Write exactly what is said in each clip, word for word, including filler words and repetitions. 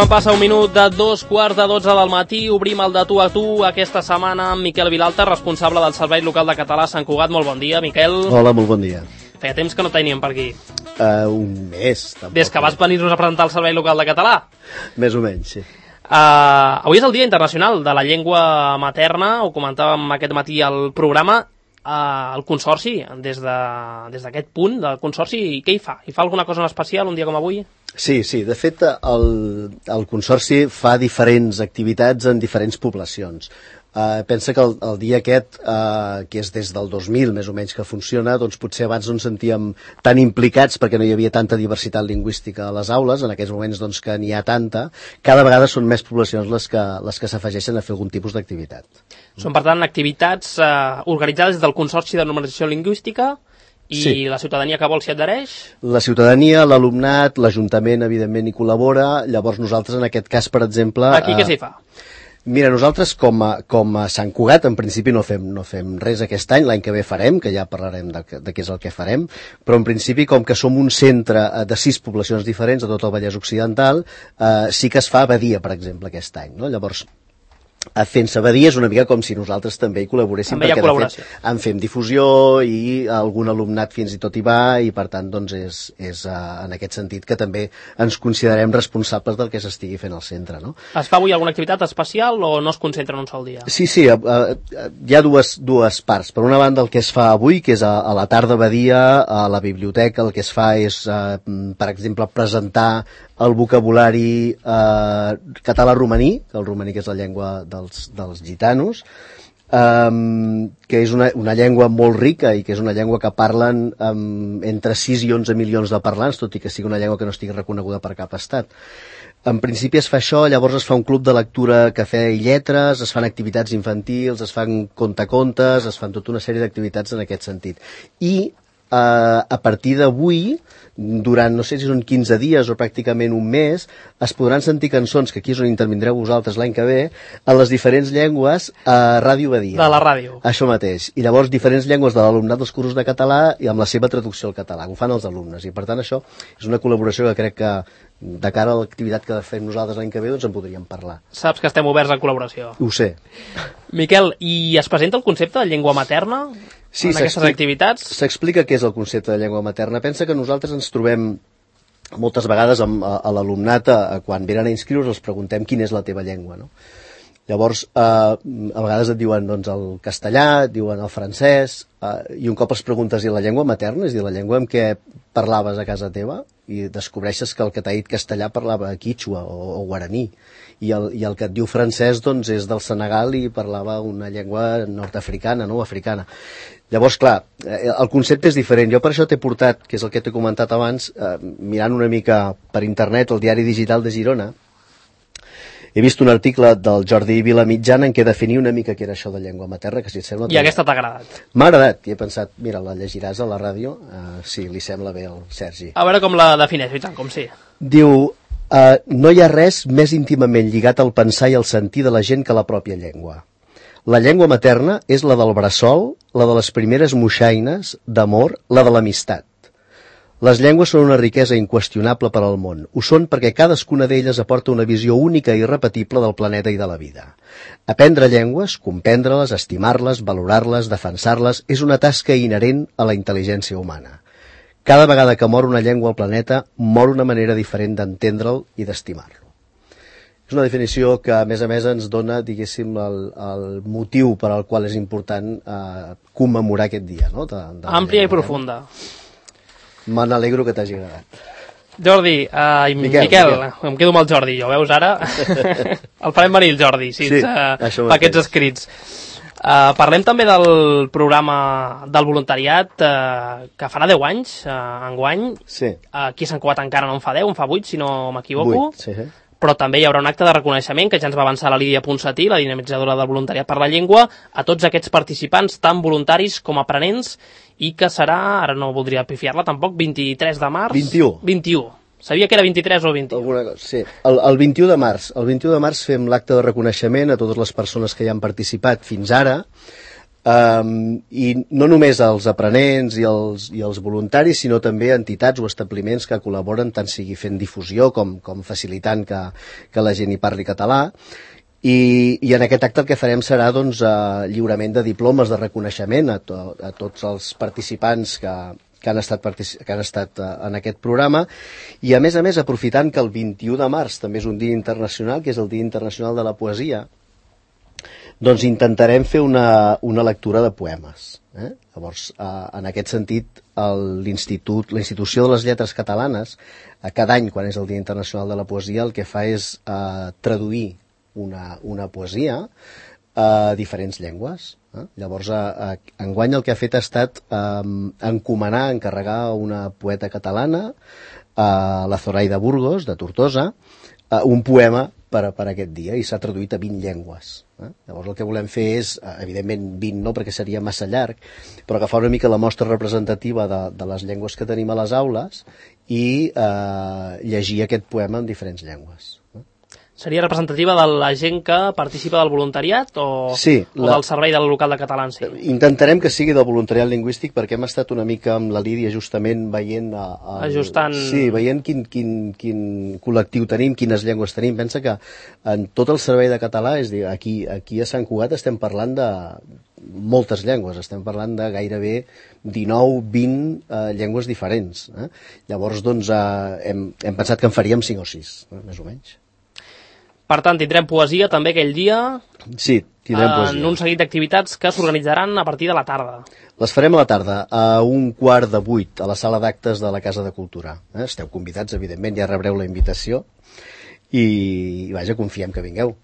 Quan passa un minut de dos quarts de dotze del matí, obrim el de tu a tu aquesta setmana amb Miquel Vilalta, responsable del Servei Local de Català a Sant Cugat. Molt bon dia, Miquel. Hola, molt bon dia. Feia temps que no teníem per aquí. Uh, un mes, tampoc. Des que vas venir-nos a presentar el Servei Local de Català. Més o menys, sí. Uh, avui és el Dia Internacional de la Llengua Materna, ho comentàvem aquest matí al programa. Uh, el Consorci, des d'aquest de, punt del Consorci, què hi fa? Hi fa alguna cosa en especial un dia com avui? Sí, sí, de fet el, el Consorci fa diferents activitats en diferents poblacions. Uh, pensa que el, el dia aquest, uh, que és des del dos mil més o menys que funciona, doncs potser abans no ens sentíem tan implicats perquè no hi havia tanta diversitat lingüística a les aules, en aquests moments doncs, que n'hi ha tanta, cada vegada són més poblacions les que, les que s'afegeixen a fer algun tipus d'activitat. Són, per tant, activitats uh, organitzades des del Consorci de Normalització Lingüística i sí. La ciutadania que vol s'hi adhereix? La ciutadania, l'alumnat, l'Ajuntament, evidentment, hi col·labora. Llavors nosaltres, en aquest cas, per exemple... Aquí què s'hi fa? Mira, nosaltres com a, com a Sant Cugat en principi no fem, no fem res aquest any, l'any que ve farem, que ja parlarem de, de què és el que farem, però en principi com que som un centre de sis poblacions diferents a tot el Vallès Occidental, eh, sí que es fa Badia, per exemple, aquest any, no? Llavors, fent-se Badia és una mica com si nosaltres també hi col·laboréssim, també hi ha perquè de fet en fem difusió i algun alumnat fins i tot hi va i per tant doncs és, és uh, en aquest sentit que també ens considerem responsables del que s'estigui fent al centre, no? Es fa avui alguna activitat especial o no es concentra en un sol dia? Sí, sí, uh, uh, hi ha dues, dues parts. Per una banda el que es fa avui, que és a, a la tarda Badia, a la biblioteca, el que es fa és, uh, per exemple, presentar el vocabulari eh, català-romaní, el romaní que és la llengua dels, dels gitanos, um, que és una, una llengua molt rica i que és una llengua que parlen um, entre sis i onze milions de parlants, tot i que sigui una llengua que no estigui reconeguda per cap estat. En principi es fa això, llavors es fa un club de lectura, cafè i lletres, es fan activitats infantils, es fan contacontes, es fan tota una sèrie d'activitats en aquest sentit. I eh, a partir d'avui, durant, no sé si són quinze dies o pràcticament un mes, es podran sentir cançons, que aquí és on intervindreu vosaltres l'any que ve, en les diferents llengües a Ràdio Badia. De la ràdio. Això mateix. I llavors diferents llengües de l'alumnat dels cursos de català i amb la seva traducció al català. Ho fan els alumnes. I per tant això és una col·laboració que crec que de cara a l'activitat que fem nosaltres l'any que ve doncs en podríem parlar. Saps que estem oberts a col·laboració. Ho sé. Miquel, i es presenta el concepte de llengua materna sí, en aquestes activitats? S'explica què és el concepte de llengua materna. Pensa que nosaltres ens trobem moltes vegades amb, a, a l'alumnat, quan venen a inscriure's, els preguntem quina és la teva llengua, no? Llavors, eh, a vegades et diuen doncs, el castellà, et diuen el francès, eh, i un cop els preguntes i la llengua materna, és a dir, la llengua amb què parlaves a casa teva, i descobreixes que el que t'ha dit castellà parlava quichua o, o guaraní, i el, i el que et diu francès doncs, és del Senegal i parlava una llengua nord-africana, no? Africana. Llavors, clar, el concepte és diferent. Jo per això t'he portat, que és el que t'he comentat abans, eh, mirant una mica per internet el diari digital de Girona, he vist un article del Jordi Vilamitjana en què definia una mica què era això de llengua materna, que si et sembla... I aquesta t'ha agradat? M'ha agradat, i he pensat, mira, la llegiràs a la ràdio? Uh, sí, li sembla bé al Sergi. A veure com la defineix, i tant, com sí. Diu, uh, no hi ha res més íntimament lligat al pensar i al sentir de la gent que la pròpia llengua. La llengua materna és la del bressol, la de les primeres moixaines d'amor, la de l'amistat. Les llengües són una riquesa inqüestionable per al món. Ho són perquè cadascuna d'elles aporta una visió única i irrepetible del planeta i de la vida. Aprendre llengües, comprendre-les, estimar-les, valorar-les, defensar-les, és una tasca inherent a la intel·ligència humana. Cada vegada que mor una llengua al planeta, mor una manera diferent d'entendre'l i d'estimar-lo. És una definició que, a més a més, ens dona, diguéssim, el, el motiu per al qual és important eh, commemorar aquest dia. No? De, de Àmplia i profunda. Me n'alegro que t'hagi agradat. Jordi, uh, i Miquel, Miquel, Miquel, em quedo amb el Jordi, jo, veus ara? El farem venir el Jordi, si sí, ets, uh, fa aquests escrits. Uh, parlem també del programa del voluntariat uh, que farà deu anys, uh, enguany. Sí. Uh, aquí a Sant Cugat encara no en fa deu, en fa vuit, si no m'equivoco. vuit, sí, sí. Però també hi haurà un acte de reconeixement que ja ens va avançar la Lídia Ponsatí, la dinamitzadora del voluntariat per la llengua, a tots aquests participants, tant voluntaris com aprenents, i que serà, ara no voldria pifiar-la tampoc, vint-i-tres de març... vint-i-u. vint-i-u. Sabia que era vint-i-tres o vint-i-u. Alguna cosa, sí. El, el vint-i-u de març. El vint-i-u de març fem l'acte de reconeixement a totes les persones que hi han participat fins ara. Um, i no només els aprenents i els, i els voluntaris, sinó també entitats o establiments que col·laboren, tant sigui fent difusió com, com facilitant que, que la gent hi parli català. I, i en aquest acte el que farem serà doncs, uh, lliurament de diplomes de reconeixement a, to, a tots els participants que, que han estat, que han estat uh, en aquest programa, i a més a més aprofitant que el vint-i-u de març també és un dia internacional, que és el Dia Internacional de la Poesia, doncs intentarem fer una, una lectura de poemes. Eh? Llavors, eh, en aquest sentit, l'Institut, la Institució de les Lletres Catalanes, eh, cada any, quan és el Dia Internacional de la Poesia, el que fa és eh, traduir una, una poesia a diferents llengües. Eh? Llavors, eh, enguany el que ha fet ha estat eh, encomanar, encarregar a una poeta catalana, eh, la Zoraida Burgos, de Tortosa, eh, un poema per, per aquest dia, i s'ha traduït a vint llengües. Eh? Llavors el que volem fer és, evidentment vint no, perquè seria massa llarg, però agafar una mica la mostra representativa de, de les llengües que tenim a les aules i eh, llegir aquest poema en diferents llengües. Eh? Seria representativa de la gent que participa del voluntariat o, sí, o la... del servei del local de català en si? Intentarem que sigui del voluntariat lingüístic, perquè hem estat una mica amb la Lídia justament veient... A, a... Ajustant... Sí, veient quin, quin, quin col·lectiu tenim, quines llengües tenim. Pensa que en tot el servei de català, és dir, aquí, aquí a Sant Cugat estem parlant de moltes llengües, estem parlant de gairebé dinou vint eh, llengües diferents. Eh? Llavors, doncs, eh, hem, hem pensat que en faríem cinc o sis, eh, més o menys. Per tant, tindrem poesia també aquell dia. Sí, tindrem poesia. En un seguit d'activitats que s'organitzaran a partir de la tarda. Les farem a la tarda, a un quart de vuit, a la sala d'actes de la Casa de Cultura. Eh? Esteu convidats, evidentment, ja rebreu la invitació. I, i vaja, confiem que vingueu.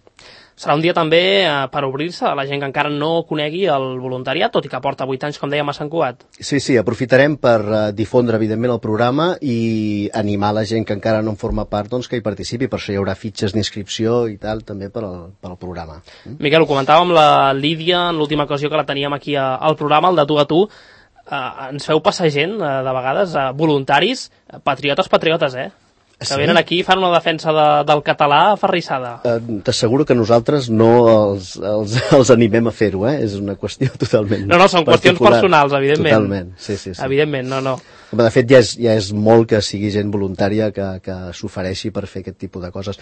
Serà un dia també eh, per obrir-se a la gent que encara no conegui el voluntariat, tot i que porta vuit anys, com dèiem, a Sant Cugat. Sí, sí, aprofitarem per uh, difondre, evidentment, el programa i animar la gent que encara no en forma part doncs, que hi participi. Per això hi haurà fitxes d'inscripció i tal, també per al, per al programa. Mm? Miquel, ho comentàvem amb la Lídia en l'última ocasió que la teníem aquí a, al programa, el de tu a tu. Uh, ens feu passar gent, uh, de vegades, uh, voluntaris, uh, patriotes, patriotes, eh? Que sí? Venen aquí i fan una defensa de, del català aferrissada. Uh, T'asseguro que nosaltres no els, els, els animem a fer-ho, eh? És una qüestió totalment No, no, són particular. Qüestions personals, evidentment. Totalment, sí, sí, sí. Evidentment, no, no. De fet, ja és, ja és molt que sigui gent voluntària que, que s'ofereixi per fer aquest tipus de coses.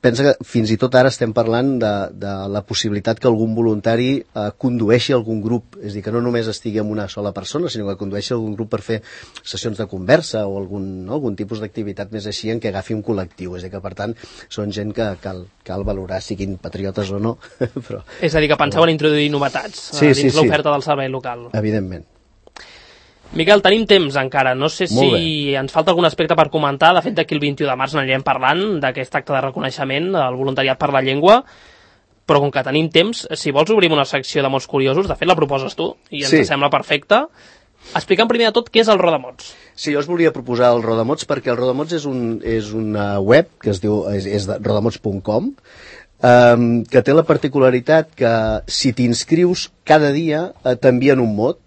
Pensa que fins i tot ara estem parlant de, de la possibilitat que algun voluntari eh, condueixi algun grup, és a dir, que no només estigui amb una sola persona, sinó que condueixi algun grup per fer sessions de conversa o algun, no, algun tipus d'activitat més així en què agafi un col·lectiu. És a dir, que per tant són gent que cal, cal valorar, siguin patriotes o no. Però... És a dir, que penseu en introduir novetats sí, dins sí, sí. l'oferta del servei local. Evidentment. Miquel, tenim temps encara, no sé si ens falta algun aspecte per comentar. De fet, d'aquí el vint-i-u de març n'anirem parlant d'aquest acte de reconeixement al voluntariat per la llengua, però com que tenim temps, si vols obrim una secció de mots curiosos, de fet la proposes tu i ens sí. sembla perfecte. Explica'm primer de tot què és el Rodamots. Sí, jo us volia proposar el Rodamots perquè el Rodamots és, un, és una web que es diu és, és rodamots punt com, um, que té la particularitat que si t'inscrius cada dia eh, t'envien un mot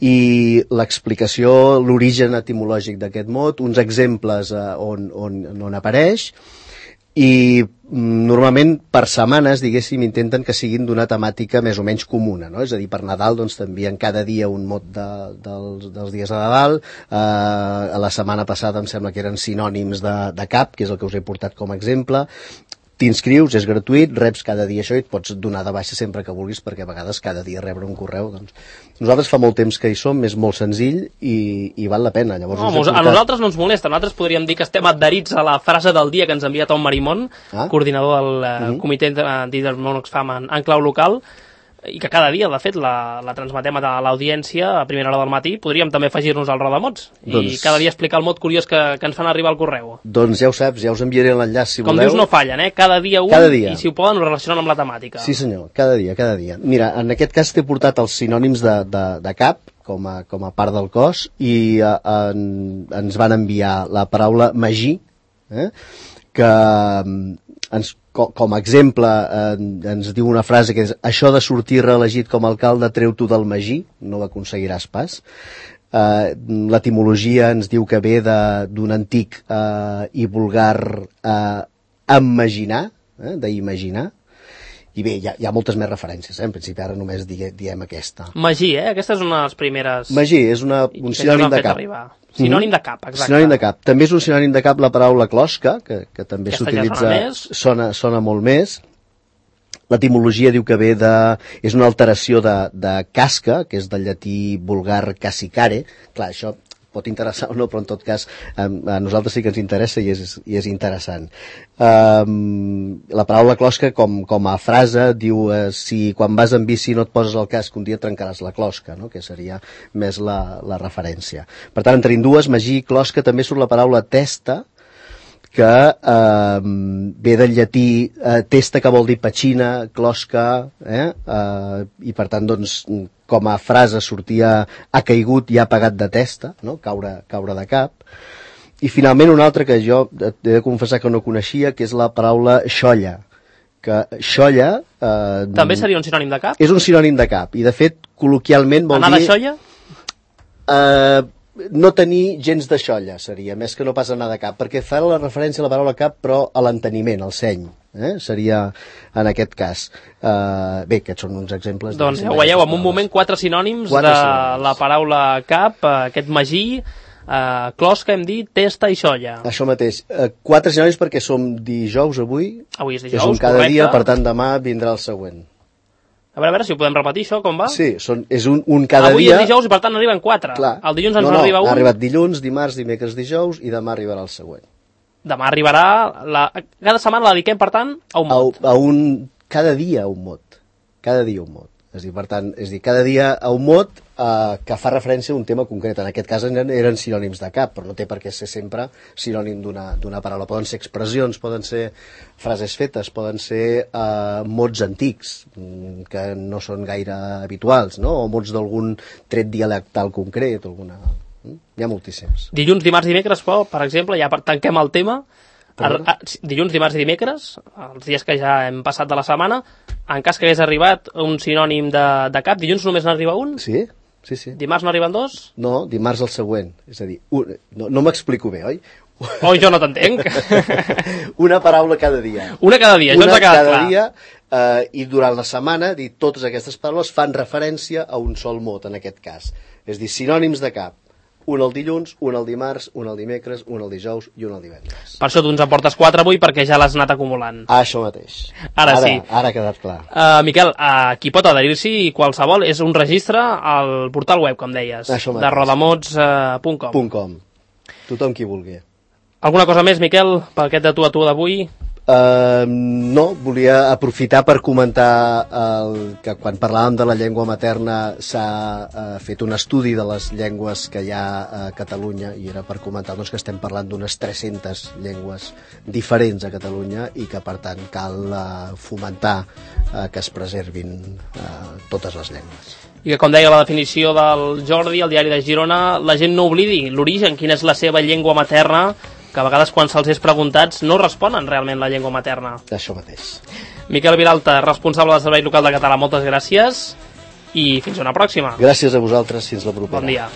i l'explicació, l'origen etimològic d'aquest mot, uns exemples eh, on, on, on apareix, i normalment per setmanes, diguéssim, intenten que siguin d'una temàtica més o menys comuna, no? És a dir, per Nadal doncs t'envien cada dia un mot de, dels, dels dies de Nadal, eh, a la setmana passada em sembla que eren sinònims de, de cap, que és el que us he portat com a exemple. T'inscrius, és gratuït, reps cada dia això i et pots donar de baixa sempre que vulguis, perquè a vegades cada dia rebre un correu, doncs... Nosaltres fa molt temps que hi som, és molt senzill i, i val la pena. Llavors, no, portat... A nosaltres no ens molesta, nosaltres podríem dir que estem adherits a la frase del dia que ens ha enviat Tom Marimón, ah? coordinador del uh, uh-huh. comitè d'Intermón Oxfam en, en clau local, i que cada dia, de fet, la, la transmetem a l'audiència a primera hora del matí. Podríem també afegir-nos al Rodamots doncs... i cada dia explicar el mot curiós que, que ens fan arribar al correu. Doncs ja ho saps, ja us enviaré l'enllaç si Com voleu. Com dius, no fallen, eh? Cada dia un, cada dia. I si ho poden ho relacionen amb la temàtica. Sí senyor, cada dia, cada dia. Mira, en aquest cas t'he portat els sinònims de, de, de cap, com a, com a part del cos, i eh, en, ens van enviar la paraula magí, eh? que ens, com, com a exemple eh, ens diu una frase que és: això de sortir reelegit com a alcalde treu-t'ho del magí, no ho aconseguiràs pas. Eh, l'etimologia ens diu que ve d'un antic eh, i vulgar eh, imaginar, eh, d'imaginar, I bé, hi ha, hi ha moltes més referències, eh? En principi ara només digue, diem aquesta. Magí, eh? Aquesta és una de les primeres... Magí, és una, un sinònim de cap. Arribar. Sinònim de cap, exacte. Sinònim de cap. També és un sinònim de cap la paraula closca, que, que també s'utilitza... Ja sona, sona, sona molt més. L'etimologia diu que ve de... és una alteració de, de casca, que és del llatí vulgar cassicare. Clar, això pot interessar o no, però en tot cas a, a nosaltres sí que ens interessa i és, i és interessant. Um, la paraula closca com, com a frase diu eh, si quan vas en bici no et poses el casc un dia trencaràs la closca, no? Que seria més la, la referència. Per tant, en tenim dues, Magí i closca. També surt la paraula testa, que eh, ve del llatí eh, testa, que vol dir petxina, closca, eh? Eh, i per tant, doncs, com a frase sortia ha caigut i ha pagat de testa, no? caure, caure de cap. I finalment una altra que jo he de confessar que no coneixia, que és la paraula xolla, que xolla... Eh, també seria un sinònim de cap? És un sinònim de cap, i de fet, col·loquialment vol anar dir... Anar de xolla? Eh... no tenir gens de xolla seria, més que no pas anar de cap, perquè fa la referència a la paraula cap però a l'enteniment, al seny, eh? Seria en aquest cas. Uh, bé, aquests són uns exemples. Doncs ja ho veieu, en un moment quatre sinònims quatre de sinònims. La paraula cap, aquest magí, uh, closca, hem dit, testa i xolla. Això mateix, uh, quatre sinònims perquè som dijous avui, avui és dijous, és un cada correcte. Dia, per tant demà vindrà el següent. A veure, a veure si ho podem repetir, això, com va? Sí, són, és un, un cada avui dia... Avui és dijous i, per tant, n'arriben quatre. Clar. El dilluns ens no, no, n'arriba un. ha arribat dilluns, dimarts, dimecres, dijous, i demà arribarà el següent. Demà arribarà... La... Cada setmana la dediquem, per tant, a un mot. A, a un... Cada dia a un mot. Cada dia un mot. És dir, per tant, és dir, cada dia a un mot eh, que fa referència a un tema concret. En aquest cas eren, eren sinònims de cap, però no té per què ser sempre sinònim d'una paraula. Poden ser expressions, poden ser frases fetes, poden ser eh, mots antics, que no són gaire habituals, no? O mots d'algun tret dialectal concret, alguna... Hi ha moltíssims. Dilluns, dimarts, dimecres, però, per exemple, ja tanquem el tema. Ar dilluns, dimarts i dimecres, els dies que ja hem passat de la setmana, en cas que hagués arribat un sinònim de, de cap, dilluns només n'arriba un? Sí, sí, sí. Dimarts n'arriben dos? No, dimarts el següent. És a dir, un, no, no m'explico bé, oi? Oi, jo no t'entenc. Una paraula cada dia. Una cada dia, Una això ens ha quedat cada clar. dia, eh, i durant la setmana, dir, totes aquestes paraules fan referència a un sol mot, en aquest cas. És dir, sinònims de cap. Un el dilluns, un el dimarts, un el dimecres, un el dijous i un el divendres. Per això tu ens en portes quatre avui, perquè ja l'has anat acumulant. Ah, això mateix. Ara, ara sí. Ara ha quedat clar. Uh, Miquel, uh, qui pot adherir-s'hi qualsevol és un registre al portal web, com deies, de rodamots punt com. Uh, .com. Tothom qui vulgui. Alguna cosa més, Miquel, per aquest de tu a tu d'avui? Uh, no, volia aprofitar per comentar el, que quan parlàvem de la llengua materna s'ha uh, fet un estudi de les llengües que hi ha a Catalunya, i era per comentar doncs, que estem parlant d'unes tres-centes llengües diferents a Catalunya i que per tant cal uh, fomentar uh, que es preservin uh, totes les llengües. I que, com deia la definició del Jordi, al diari de Girona, la gent no oblidi l'origen, quina és la seva llengua materna, que a vegades quan se'ls és preguntats no responen realment la llengua materna. Això mateix. Miquel Vilalta, responsable del Servei Local de Català, moltes gràcies i fins una pròxima. Gràcies a vosaltres, fins la propera. Bon dia.